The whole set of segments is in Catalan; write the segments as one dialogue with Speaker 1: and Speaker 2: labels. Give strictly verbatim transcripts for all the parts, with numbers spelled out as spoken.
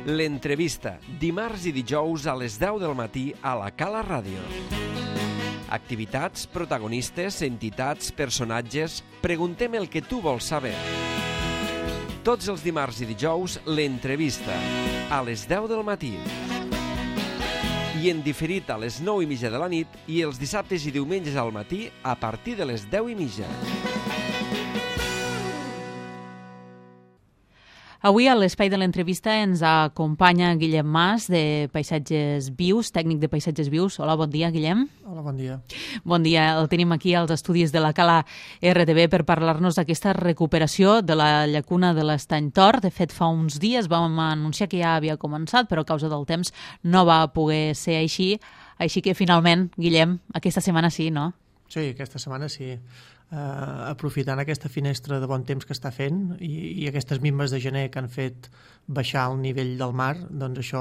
Speaker 1: L'entrevista, dimarts i dijous a les deu del matí a la Cala Ràdio. Activitats, protagonistes, entitats, personatges... Preguntem el que tu vols saber. Tots els dimarts i dijous, l'entrevista, a les deu del matí. I en diferit a les nou i mitja de la nit i els dissabtes i diumenges al matí a partir de les deu i mitja.
Speaker 2: Avui a l'espai de l'entrevista ens acompanya Guillem Mas, de Paisatges Vius, tècnic de Paisatges Vius. Hola, bon dia, Guillem.
Speaker 3: Hola, bon dia.
Speaker 2: Bon dia. El tenim aquí als estudis de la Cala R T V per parlar-nos d'aquesta recuperació de la llacuna de l'Estany Tor. De fet, fa uns dies vam anunciar que ja havia començat, però a causa del temps no va poder ser així. Així que, finalment, Guillem, aquesta setmana sí, no?
Speaker 3: Sí, aquesta setmana sí. Uh, aprofitant aquesta finestra de bon temps que està fent i, i aquestes minves de gener que han fet baixar el nivell del mar, doncs això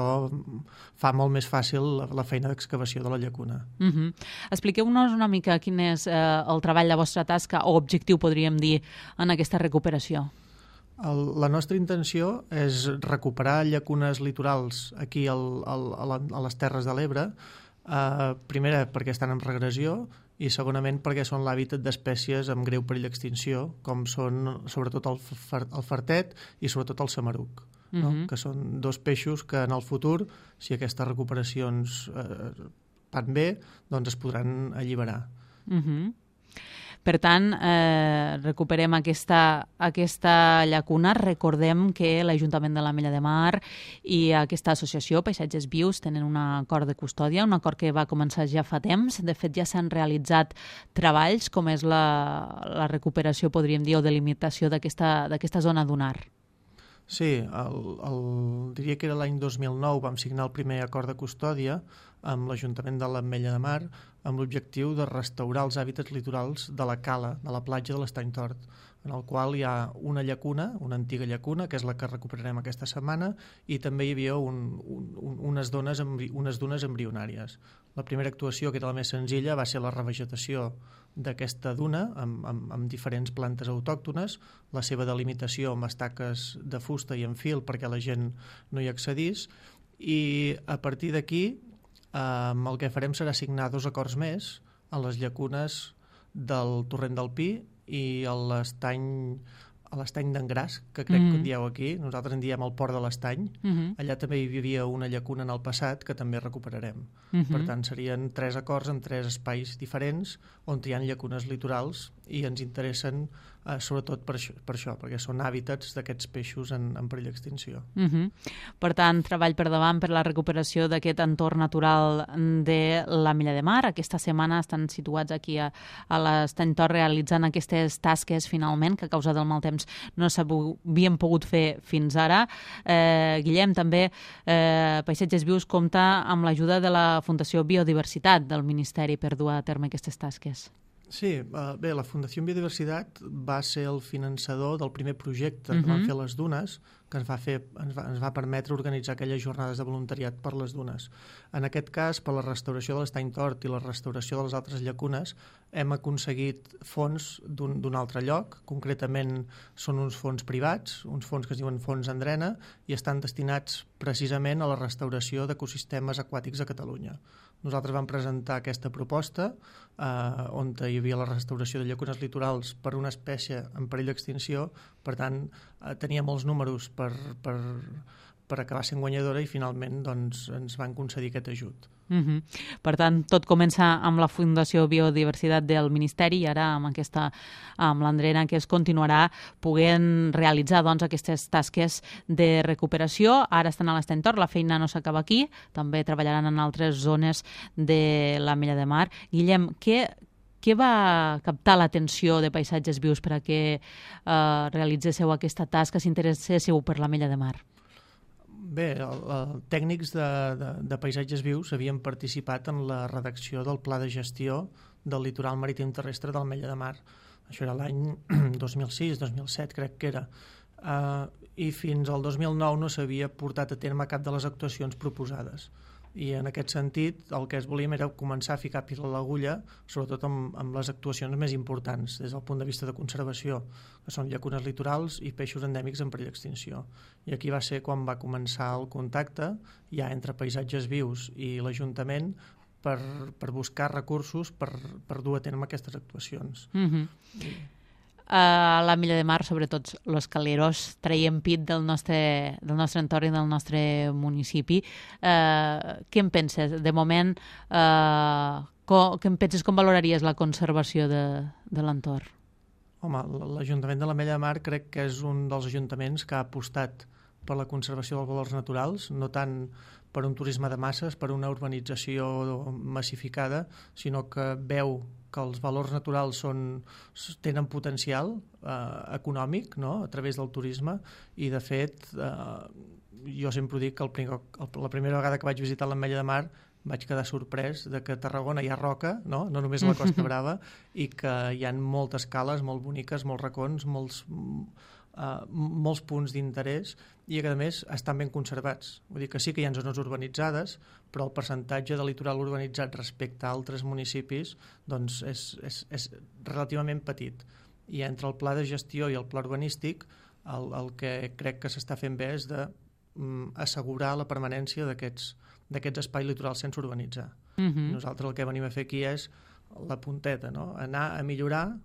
Speaker 3: fa molt més fàcil la, la feina d'excavació de la llacuna.
Speaker 2: Uh-huh. Expliqueu-nos una mica quin és uh, el treball, la vostra tasca o objectiu, podríem dir, en aquesta recuperació.
Speaker 3: El, la nostra intenció és recuperar llacunes litorals aquí al, al, a, la, a les Terres de l'Ebre, uh, primera perquè estan en regressió i segonament perquè són l'hàbitat d'espècies amb greu perill d'extinció, com són sobretot el, fer, el fartet i sobretot el samaruc, no? Uh-huh. Que són dos peixos que en el futur, si aquestes recuperacions eh, van bé, doncs es podran alliberar.
Speaker 2: Uh-huh. Per tant, eh, recuperem aquesta, aquesta llacuna. Recordem que l'Ajuntament de l'Ametlla de Mar i aquesta associació, Paisatges Vius, tenen un acord de custòdia, un acord que va començar ja fa temps. De fet, ja s'han realitzat treballs, com és la, la recuperació, podríem dir, o delimitació d'aquesta d'aquesta zona dunar.
Speaker 3: Sí, el, el, diria que era l'any dos mil nou vam signar el primer acord de custòdia amb l'Ajuntament de l'Ametlla de Mar amb l'objectiu de restaurar els hàbitats litorals de la cala, de la platja de l'Estany Tort, en el qual hi ha una llacuna, una antiga llacuna, que és la que recuperarem aquesta setmana, i també hi havia un, un, unes, dones, unes dunes embrionàries. La primera actuació, que era la més senzilla, va ser la revegetació d'aquesta duna amb, amb, amb diferents plantes autòctones, la seva delimitació amb estaques de fusta i en fil perquè la gent no hi accedís, i a partir d'aquí eh, el que farem serà signar dos acords més a les llacunes del Torrent del Pi i a l'estany a l'estany d'Engràs, que crec mm-hmm. que en dieu aquí, nosaltres en diem el Port de l'Estany. Mm-hmm. Allà també hi havia una llacuna en el passat que també recuperarem. Mm-hmm. Per tant, serien tres acords en tres espais diferents on hi ha llacunes litorals i ens interessen eh, sobretot per això, per això, perquè són hàbitats d'aquests peixos en, en perill d'extinció.
Speaker 2: Mm-hmm. Per tant, treball per davant per la recuperació d'aquest entorn natural de l'Ametlla de Mar. Aquesta setmana estan situats aquí a, a l'Estany Tor realitzant aquestes tasques finalment, que a causa del mal temps no s'havien pogut fer fins ara. Eh, Guillem, també eh, Paisatges Vius compta amb l'ajuda de la Fundació Biodiversitat del Ministeri per dur a terme aquestes tasques.
Speaker 3: Sí, uh, bé, la Fundació Biodiversitat va ser el finançador del primer projecte
Speaker 2: uh-huh.
Speaker 3: que van fer les dunes, que ens va, fer, ens, va, ens va permetre organitzar aquelles jornades de voluntariat per les dunes. En aquest cas, per la restauració de l'Estany Tort i la restauració de les altres llacunes, hem aconseguit fons d'un, d'un altre lloc, concretament són uns fons privats, uns fons que es diuen Fons Andrena, i estan destinats precisament a la restauració d'ecosistemes aquàtics a Catalunya. Nosaltres vam presentar aquesta proposta eh, on hi havia la restauració de llacunes litorals per una espècie en perill d'extinció, per tant eh, tenia molts números per, per, per acabar sent guanyadora i finalment doncs, ens van concedir aquest ajut.
Speaker 2: Uh-huh. Per tant, tot comença amb la Fundació Biodiversitat del Ministeri i ara amb aquesta, amb l'Andrena, que es continuarà poguent realitzar doncs, aquestes tasques de recuperació. Ara estan a l'Estany Tor, la feina no s'acaba aquí, també treballaran en altres zones de l'Ametlla de Mar. Guillem, què, què va captar l'atenció de Paisatges Vius per a que eh, realitzéssiu aquesta tasca, s'interesséssiu per l'Ametlla de Mar?
Speaker 3: Bé, el, el, tècnics de, de, de Paisatges Vius havien participat en la redacció del Pla de Gestió del Litoral Marítim Terrestre de l'Ametlla de Mar. Això era l'any dos mil sis dos mil set, crec que era. Uh, I fins al dos mil nou no s'havia portat a terme cap de les actuacions proposades. I en aquest sentit el que es volíem era començar a ficar pila a l'agulla, sobretot amb, amb les actuacions més importants des del punt de vista de conservació, que són llacunes litorals i peixos endèmics en perill d'extinció. I aquí va ser quan va començar el contacte ja entre Paisatges Vius i l'Ajuntament per, per buscar recursos per, per dur a terme aquestes actuacions.
Speaker 2: Mm-hmm. I... a l'Ametlla de Mar, sobretot els caleros, traiem pit del nostre, del nostre entorn i del nostre municipi. Eh, què en penses? De moment, eh, com, què en penses, com valoraries la conservació de, de l'entorn?
Speaker 3: Home, l'Ajuntament de l'Ametlla de Mar crec que és un dels ajuntaments que ha apostat per la conservació dels valors naturals, no tant per un turisme de masses, per una urbanització massificada, sinó que veu que els valors naturals són, tenen potencial eh, econòmic, no?, a través del turisme, i de fet eh, jo sempre ho dic que el primer, el, la primera vegada que vaig visitar l'Ametlla de Mar vaig quedar sorprès de que a Tarragona hi ha roca, no, no només a la Costa Brava, i que hi ha moltes cales molt boniques, molts racons, molts, uh, molts punts d'interès, i que a més estan ben conservats. Vull dir que sí que hi ha zones urbanitzades, però el percentatge de litoral urbanitzat respecte a altres municipis doncs és, és, és relativament petit. I entre el pla de gestió i el pla urbanístic el, el que crec que s'està fent bé és de um, assegurar la permanència d'aquests d'aquests espais litorals sense urbanitzar. Mm-hmm. Nosaltres el que venim a fer aquí és la punteta, no? Anar a millorar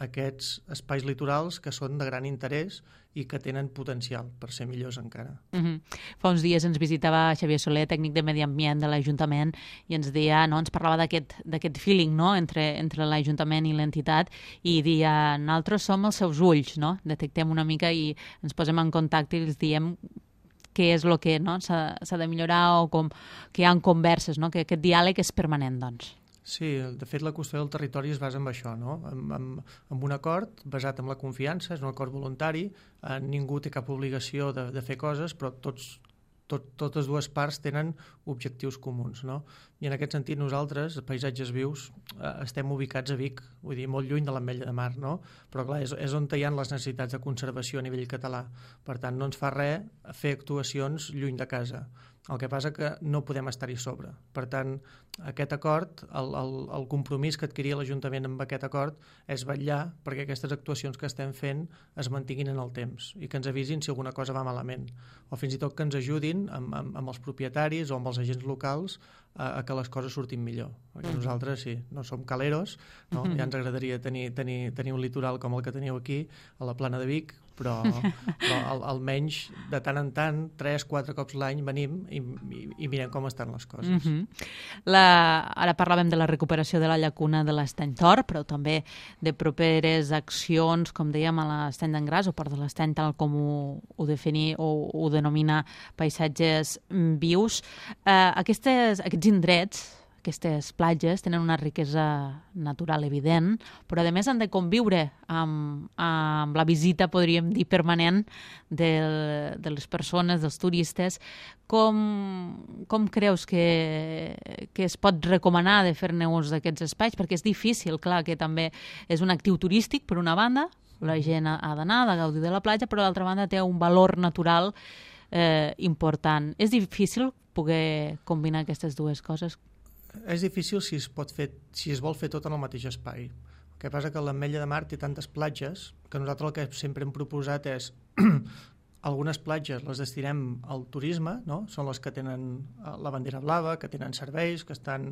Speaker 3: aquests espais litorals que són de gran interès i que tenen potencial per ser millors encara.
Speaker 2: Mm-hmm. Fa uns dies ens visitava Xavier Soler, tècnic de Medi Ambient de l'Ajuntament, i ens deia, no, ens parlava d'aquest d'aquest feeling, no?, entre, entre l'Ajuntament i l'entitat, i dia, nosaltres som els seus ulls, no? Detectem una mica i ens posem en contacte i els diem què és el que, no, s'ha de millorar, o com, que hi ha converses, no? Que aquest diàleg és permanent, doncs.
Speaker 3: Sí, de fet la qüestió del territori es basa en això, no? En, en, en un acord basat en la confiança, és un acord voluntari, eh, ningú té cap obligació de, de fer coses, però tots, tot, totes dues parts tenen objectius comuns, no? I en aquest sentit nosaltres, Paisatges Vius, eh, estem ubicats a Vic, vull dir, molt lluny de l'Ametlla de Mar, no? Però clar, és, és on hi ha les necessitats de conservació a nivell català. Per tant, no ens fa res fer actuacions lluny de casa. El que passa que no podem estar-hi sobre. Per tant, aquest acord, el, el, el compromís que adquiria l'Ajuntament amb aquest acord és vetllar perquè aquestes actuacions que estem fent es mantinguin en el temps i que ens avisin si alguna cosa va malament, o fins i tot que ens ajudin amb, amb, amb els propietaris o amb els agents locals a, a que les coses surtin millor. Perquè nosaltres, sí, no som caleros, no? Ja ens agradaria tenir, tenir, tenir un litoral com el que teniu aquí, a la Plana de Vic, però, però al, almenys de tant en tant, tres, quatre cops l'any venim i, i, i mirem com estan les coses.
Speaker 2: Mm-hmm. la, ara parlàvem de la recuperació de la llacuna de l'Estany Tor, però també de properes accions, com dèiem, a l'Estany d'Engràs, o Port de l'Estany, tal com ho, ho definir o ho denomina Paisatges Vius. Eh, aquestes, aquests indrets, aquestes platges tenen una riquesa natural evident, però a més han de conviure amb, amb la visita, podríem dir, permanent de, de les persones, dels turistes. Com, com creus que, que es pot recomanar de fer-ne ús d'aquests espais? Perquè és difícil, clar, que també és un actiu turístic, per una banda, la gent ha d'anar, ha de gaudir de la platja, però d'altra banda té un valor natural eh, important. És difícil poder combinar aquestes dues coses?
Speaker 3: És difícil si es pot fer, si es vol fer tot en el mateix espai. El que passa que l'Ametlla de Mar té tantes platges que nosaltres el que sempre hem proposat és algunes platges les destinem al turisme, no? Són les que tenen la bandera blava, que tenen serveis, que estan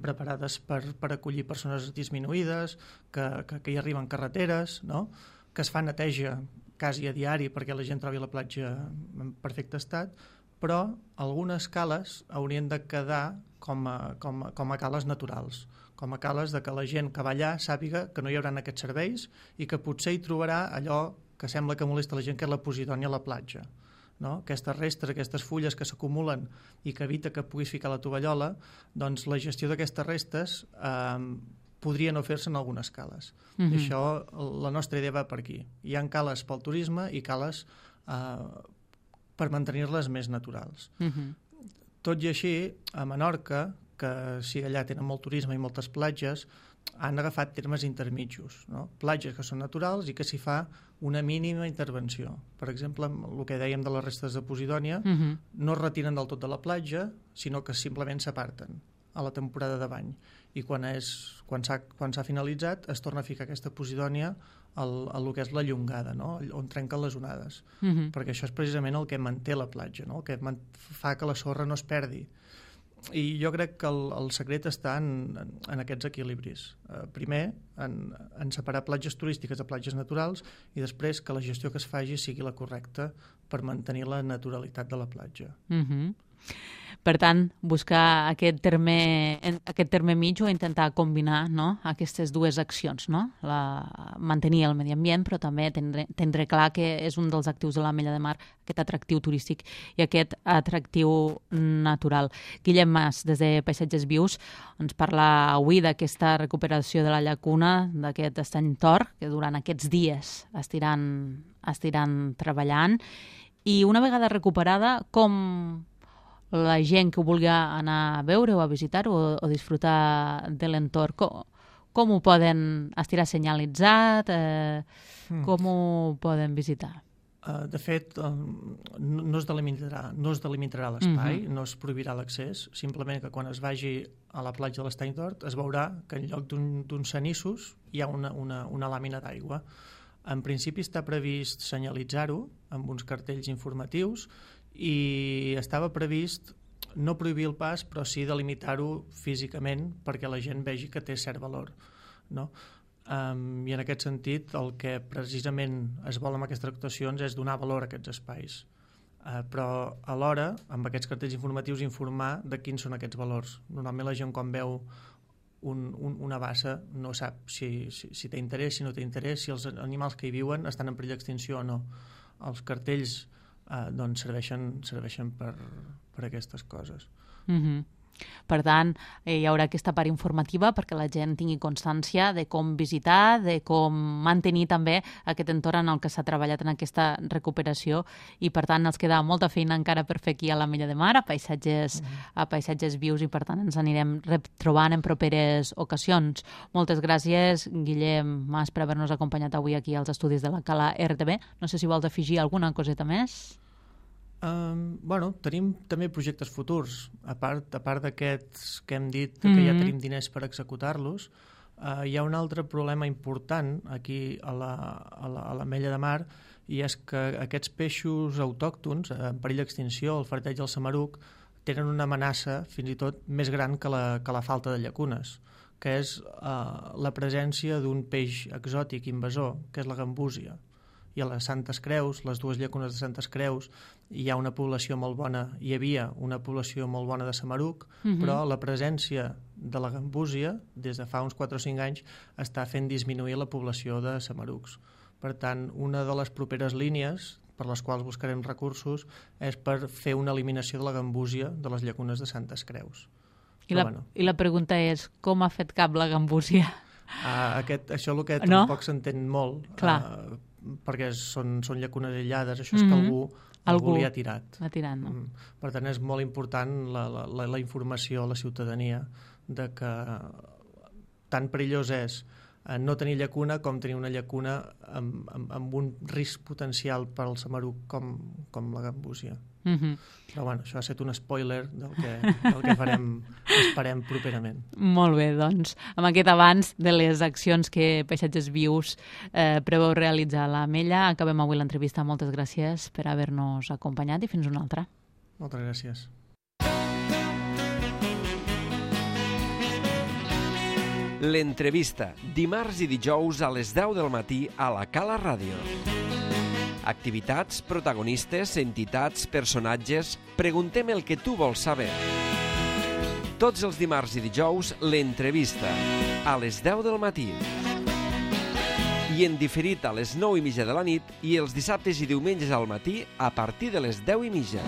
Speaker 3: preparades per, per acollir persones disminuïdes, que, que, que hi arriben carreteres, no? Que es fa neteja quasi a diari perquè la gent trobi la platja en perfecte estat, però algunes cales haurien de quedar com a, com a, com a cales naturals, com a cales de que la gent que va allà sàpiga que no hi haurà aquests serveis i que potser hi trobarà allò que sembla que molesta la gent, que és la posidònia a la platja. No? Aquestes restes, aquestes fulles que s'acumulen i que evita que puguis ficar la tovallola, doncs la gestió d'aquestes restes eh, podria no fer-se en algunes cales. Mm-hmm. I això, la nostra idea va per aquí. Hi ha cales pel turisme i cales eh, per mantenir-les més naturals. Mm-hmm. Tot i així, a Menorca, que sí, allà tenen molt turisme i moltes platges, han agafat termes intermitjos, no? Platges que són naturals i que s'hi fa una mínima intervenció. Per exemple, el que dèiem de les restes de posidònia, uh-huh. no es retiren del tot de la platja, sinó que simplement s'aparten a la temporada de bany. I quan és, quan s'ha quan s'ha finalitzat es torna a ficar aquesta posidònia al, a el que és la llongada, no? On trenquen les onades. Uh-huh. Perquè això és precisament el que manté la platja, no? El que fa que la sorra no es perdi. I jo crec que el, el secret està en, en, en aquests equilibris. Uh, primer, en, en separar platges turístiques de platges naturals i després que la gestió que es faci sigui la correcta per mantenir la naturalitat de la platja.
Speaker 2: Mm-hmm. Per tant, buscar aquest terme, aquest terme mig o intentar combinar, no?, aquestes dues accions, no? La, mantenir el medi ambient, però també tindre, tindre clar que és un dels actius de l'Ametlla de Mar, aquest atractiu turístic i aquest atractiu natural. Guillem Mas, des de Paisatges Vius, ens parla avui d'aquesta recuperació de la llacuna, d'aquest estany tor, que durant aquests dies estiran, estiran treballant, i una vegada recuperada, com la gent que ho vulgui anar a veure o a visitar o, o disfrutar de l'entorn, com, com ho poden estirar senyalitzat, eh, mm. com ho poden visitar?
Speaker 3: Uh, de fet, um, no, no es delimitarà, no es delimitarà l'espai, mm-hmm. no es prohibirà l'accés, simplement que quan es vagi a la platja de l'Estany Tort es veurà que en lloc d'uns cenissos hi ha una, una, una làmina d'aigua. En principi està previst senyalitzar-ho amb uns cartells informatius i estava previst no prohibir el pas, però sí delimitar-ho físicament perquè la gent vegi que té cert valor, no? Um, I en aquest sentit el que precisament es vol amb aquestes actuacions és donar valor a aquests espais, uh, però alhora amb aquests cartells informatius informar de quins són aquests valors. Normalment la gent quan veu un, un, una bassa no sap si, si, si té interès, si no té interès, si els animals que hi viuen estan en perill d'extinció o no. Els cartells Uh, doncs serveixen, serveixen per, per aquestes coses.
Speaker 2: Mm-hmm. Per tant, eh, hi haurà aquesta part informativa perquè la gent tingui constància de com visitar, de com mantenir també aquest entorn en el que s'ha treballat en aquesta recuperació i per tant ens queda molta feina encara per fer aquí a l'Ametlla de Mar, a Paisatges, mm-hmm. a Paisatges Vius, i per tant ens anirem retrobant en properes ocasions. Moltes gràcies, Guillem Mas, per haver-nos acompanyat avui aquí als estudis de la Cala R T B. No sé si vols afegir alguna coseta més.
Speaker 3: Um, bueno, tenim també projectes futurs, a part, a part d'aquests que hem dit que mm-hmm. ja tenim diners per executar-los. Uh, hi ha un altre problema important aquí a la, a la, a l'Ametlla de Mar, i és que aquests peixos autòctons en perill d'extinció, el farteig i el samaruc, tenen una amenaça fins i tot més gran que la, que la falta de llacunes, que és uh, la presència d'un peix exòtic invasor, que és la gambúsia. I a les Santes Creus, les dues llacunes de Santes Creus, hi ha una població molt bona, hi havia una població molt bona de samaruc, mm-hmm. però la presència de la gambúsia, des de fa uns quatre o cinc anys, està fent disminuir la població de samarucs. Per tant, una de les properes línies per les quals buscarem recursos és per fer una eliminació de la gambúsia de les llacunes de Santes Creus.
Speaker 2: I, la, bueno. I la pregunta és, com ha fet cap la gambúsia?
Speaker 3: Uh, aquest, això és el que
Speaker 2: no?
Speaker 3: tampoc s'entén molt.
Speaker 2: Clar.
Speaker 3: Uh, perquè són, són llacunes aïllades, això és mm-hmm. que algú, algú, algú li ha tirat.
Speaker 2: Ha tirat, no?
Speaker 3: Mm. Per tant, és molt important la, la, la informació a la ciutadania de que tan perillós és no tenir llacuna com tenir una llacuna amb, amb, amb un risc potencial per al samaruc com, com la gambúsia. Mm-hmm. Però bueno, això ha estat un spoiler del que, del que farem, esperem properament.
Speaker 2: Molt bé, doncs, amb aquest avanç de les accions que Paisatges Vius eh, preveu realitzar a l'Ametlla, acabem avui l'entrevista. Moltes gràcies per haver-nos acompanyat i fins una altra.
Speaker 3: Moltes gràcies.
Speaker 1: L'entrevista, dimarts i dijous a les deu del matí a la Cala Ràdio. Activitats, protagonistes, entitats, personatges... Preguntem el que tu vols saber. Tots els dimarts i dijous, l'entrevista, a les deu del matí. I en diferit a les nou i mitja de la nit i els dissabtes i diumenges al matí a partir de les deu i mitja.